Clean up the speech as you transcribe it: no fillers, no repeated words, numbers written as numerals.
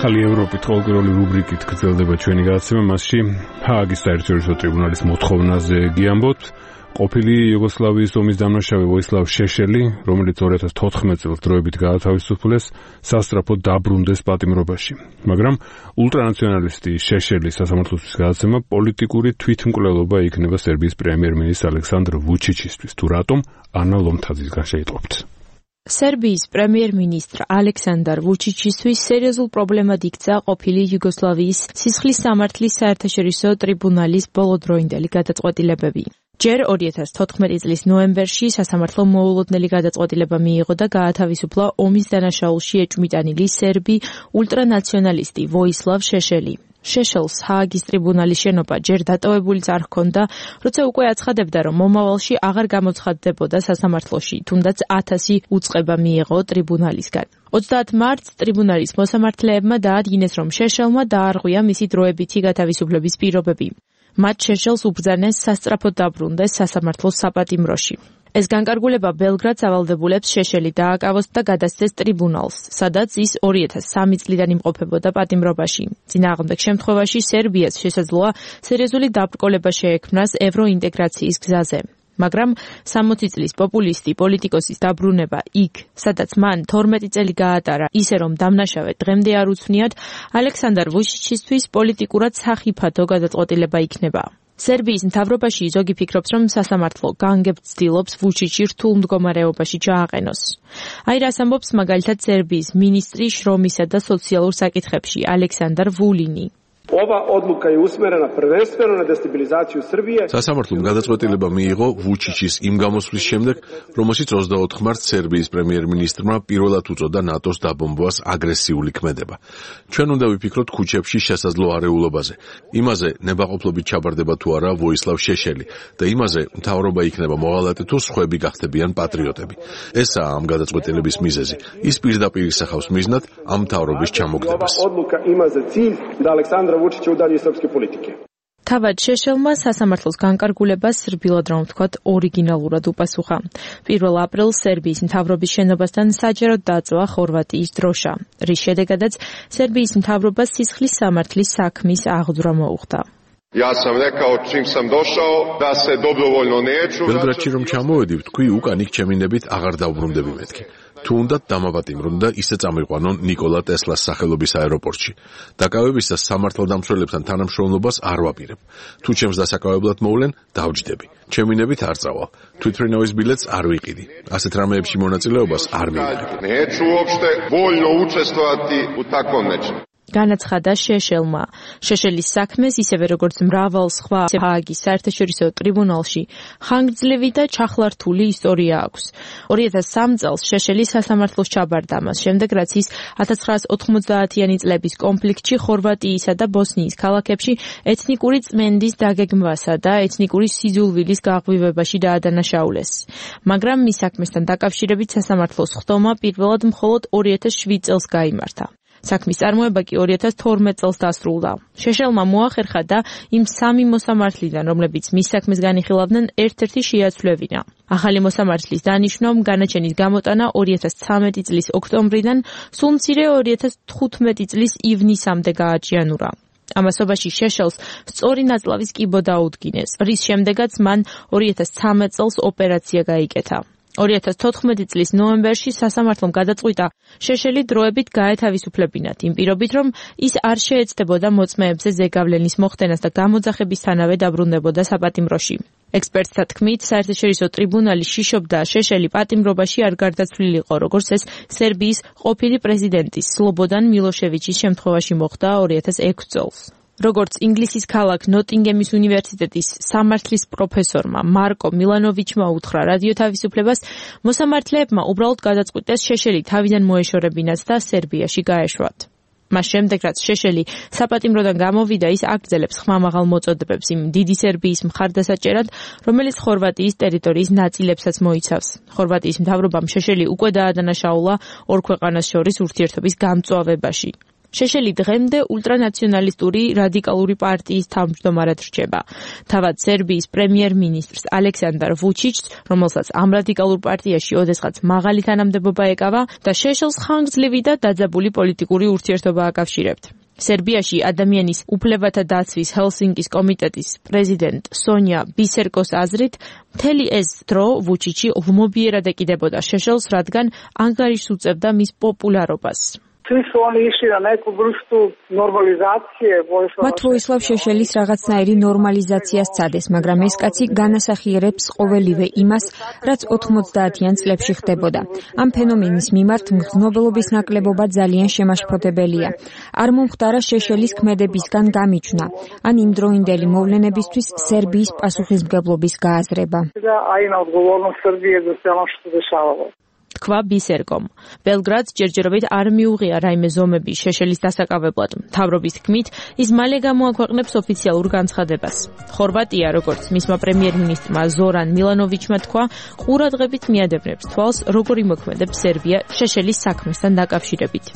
ახალი ევროპით ყოველკვირეული რუბრიკით გრძელდება ჩვენი გადაცემა, მასში ჰააგის საერთაშორისო ტრიბუნალის მოთხოვნაზე გიამბობთ. ყოფილი იუგოსლავიის ომის დამნაშავე ვოისლავ შეშელი, რომელიც 2014 წელს დროებით გაათავისუფლეს, სასწრაფოდ დაბრუნდეს პატიმრობაში. მაგრამ ულტრანაციონალისტი შეშელის სასამართლოსთვის გადაცემა პოლიტიკური თვითმკვლელობა იქნება სერბიის პრემიერ-მინისტრ ალექსანდრ ვუჩიჩისთვის. თუ რატომ, ანა ლომთაძისგან შეიტყობთ. სერბიის პრემიერ-მინისტრ ალექსანდრ ვუჩიჩისთვის სერიოზულ პრობლემად იქცა ყოფილი იუგოსლავიის სისხლის სამართლის საერთაშორისო ტრიბუნალის ბოლოდროინდელი გადაწყვეტილებები. ჯერ 2014 წლის ნოემბერში სასამართლო მოულოდნელი გადაწყვეტილება მიიღო და გაათავისუფლა ომის დანაშაულში ეჭვმიტანილი სერბი ულტრანაციონალისტი ვოისლავ შეშელი. შეშელს ჰააგის ტრიბუნალის შენობა ჯერ დატოვებულიც არ ჰქონდა, როცა უკვე აცხადებდა, რომ მომავალში აღარ გამოცხადდებოდა სასამართლოში, თუნდაც 1000 უწყება მიიღო ტრიბუნალისგან. 30 მარტს ტრიბუნალის მოსამართლეებმა დაადგინეს, რომ შეშელმა დაარღვია მისი დროებითი გათავისუფლების პირობები. მათ შეშელს უბრძანეს სასწრაფოდ დაბრუნდეს სასამართლოს საპატიმროში. ეს განკარგულება ბელგრადს ავალდებულებს შეშელი დააკავოს და გადასცეს ტრიბუნალს, სადაც ის 2003 წლიდან იმყოფებოდა პატიმრობაში. წინააღმდეგ შემთხვევაში სერბიას შესაძლოა სერიოზული დაბრკოლება შეექმნას ევროინტეგრაციის გზაზე. მაგრამ 60 წლის პოპულისტი პოლიტიკოსის დაბრუნება იქ, სადაც მან 12 წელი გაატარა, ისე რომ დამნაშავე დღემდე არ უცვნიათ, ალექსანდრ ვუჩიჩისთვის პოლიტიკურად სახიფათო გადაწყვეტილება იქნება. სერბიის მთავრობაში ზოგი ფიქრობს, რომ სასამართლო განგებ ცდილობს ვუჩიჩი რთულ მდგომარეობაში ჩააყენოს. აი რას ამბობს მაგალითად სერბიის მინისტრი შრომისა და სოციალურ საკითხებში ალექსანდრ ვულინი. Ova odluka je usmerena prvenstveno na destabilizaciju Srbije. სასამართლომ გადაწყვეტილება მიიღო ვუჩიჩის იმ გამოსვლის შემდეგ, რომელშიც 24 მარტს სერბიის პრემიერ-მინისტრმა პირველად უწოდა ნატოს დაბომბვას აგრესიული ქმედება. ჩვენ უნდა ვიფიქროთ ქუჩებში შესაძლო არეულობაზე, იმაზე ნებაყოფლობით ჩაბარდება თუ არა ვოისლავ შეშელი და იმაზე მთავრობა იქნება მოღალატე თუ სხვები გახდებიან პატრიოტები. ესაა ამ გადაწყვეტილების მიზეზი. ის პირდაპირ ისახავს მიზნად ამ მთავრობის ჩამოგდებას. Odluka ima za cilj da Aleksandra Vučića udalji iz srpske politike. თავად შეშელმა სასამართლოს განკარგულებას სრბილად რომ ვთქვათ ორიგინალურად უპასუხა. 1 აპრილს სერბიის მთავრობის შენობასთან საჯაროდ დაწვა ხორვატიის დროშა, რის შედეგადაც სერბიის მთავრობას სისხლის სამართლის საქმის აღძვრა მოუხდა. Ja sam rekao čim sam došao da se dobrovoljno neću. ბელგრადში რომ ჩამოვედი, ვთქვი უკან იქ ჩემინებით აღარ დავბრუნდები მეთქი. თუ უნდა დამავატიმრონ და ისე წამიყვანონ ნიკოლა ტესლას სახელობის აეროპორტში. დაკავებისას სამართალდამცველებთან თანამშრომლობას არ ვაპირებ. თუ ჩემს დასაკავებლად მოვლენ, დავჯდები. ჩემინებით არ წავალ. თვითმფრინავის ბილეთს არ ვიყიდი. ასეთ რამეებში მონაწილეობას არ მივიღებ. Neću uopšte voljno učestvovati u takvom nečem. განაცხადა შეშელმა. შეშელის საქმეს ისევე როგორც მრავალ სხვა ჰააგის საერთაშორისო ტრიბუნალში ხანგრძლივი და ჩახლართული ისტორია აქვს. 2003 წელს შეშელი სასამართლოს ჩაბარდა, მას შემდეგ რაც ის 1990-იანი წლების კონფლიქტში ხორვატიისა და ბოსნიის ქალაქებში ეთნიკური წმენდის დაგეგმვასა და ეთნიკური სიძულვილის გაღვივებაში დაადანაშაულეს. მაგრამ მის საქმესთან დაკავშირებით სასამართლოს ხდომა პირველად მხოლოდ 2007 წელს გაიმართა. საქმის წარმოება კი 2012 წელს დასრულდა. შეშელმა მოახერხა და იმ 3 მოსამართლიდან, რომლებიც მის საქმეს განიხილავდნენ, ერთ-ერთი შეაცვლევინა. ახალი მოსამართლის დანიშვნამ განაჩენის გამოტანა 2013 წლის ოქტომბრიდან სულ მცირე 2015 წლის ივნისამდე გააჭიანურა. ამასობაში შეშელს სწორი ნაწლავის კიბო დაუდგინეს, რის შემდეგაც მან 2013 წელს ოპერაცია გაიკეთა. 2014 წლის ნოემბერში სასამართლომ გადაწყვიტა შეშელი დროებით გაეთავისუფლებინათ, იმ პირობით, რომ ის არ შეეცდებოდა მოწმეებზე ზეგავლენის მოხდენას და გამოძახებისთანავე დაბრუნდებოდა საპატიმროში. ექსპერტთა თქმით, საერთაშორისო ტრიბუნალი შიშობდა შეშელი პატიმრობაში არ გარდაცვლილიყო, როგორც ეს სერბიის ყოფილი პრეზიდენტის სლობოდან მილოშევიჩის შემთხვევაში მოხდა 2006 წელს. როგორც ინგლისის ქალაქ ნოტინგემის უნივერსიტეტის სამართლის პროფესორმა მარკო მილანოვიჩმა უთხრა რადიო თავისუფლებას, მოსამართლეებმა უბრალოდ გადაწყვიტეს შეშელი თავიდან მოეშორებინათ და სერბიაში გაეშვათ. მას შემდეგ, რაც შეშელი საპატიმროდან გამოვიდა, ის აგრძელებს ხმამაღალ მოწოდებებს იმ დიდი სერბიის მხარდასაჭერად, რომელიც ხორვატიის ტერიტორიის ნაწილებსაც მოიცავს. ხორვატიის მთავრობამ შეშელი უკვე დაადანაშაულა ორ ქვეყანას შორის ურთიერთობის გამწვავებაში. შეშელი დღემდე ულტრანაციონალისტური რადიკალური პარტიის თავმჯდომარედ რჩება. თავად სერბიის პრემიერ-მინისტრს ალექსანდარ ვუჩიჩს, რომელსაც ამ რადიკალურ პარტიაში ოდესღაც მაღალი თანამდებობა ეკავა და შეშელს ხანგრძლივი და დაძაბული პოლიტიკური ურთიერთობა აკავშირებთ. სერბიაში ადამიანის უფლებათა დაცვის ჰელსინკის კომიტეტის პრეზიდენტ სონია ბისერკოს აზრით, მთელი ეს დრო ვუჩიჩი ღვმობიერად ეკიდებოდა შეშელს, რადგან ანგარიშს უწევდა მის პოპულარობას. მათ ვოისლავ შეშელის რაღაცნაირი ნორმალიზაცია სცადეს, მაგრამ ეს კაცი განასახიერებს ყოველივე იმას, რაც 90-იან წლებში ხდებოდა. ამ ფენომენის მიმართ მგრძნობელობის ნაკლებობა ძალიან შემაშფოთებელია. არ მომხდარა შეშელის ქმედებისგან გამიჩვნა, ან იმდროინდელი მოვლენებისთვის სერბიის პასუხისმგებლობის გააზრება. თქვა ბისერკომ. ბელგრადს ჯერჯერობით არ მიუღია რაიმე ზომები შეშელის დასაკავებლად. მთავრობის თქმით, ის მალე გამოაქვეყნებს ოფიციალურ განცხადებას. ხორვატია, როგორც მისმა პრემიერ-მინისტრმა ზორან მილანოვიჩმა თქვა, ყურადღებით მიადევნებს თვალს, როგორ იმოქმედებს სერბია შეშელის საქმესთან დაკავშირებით.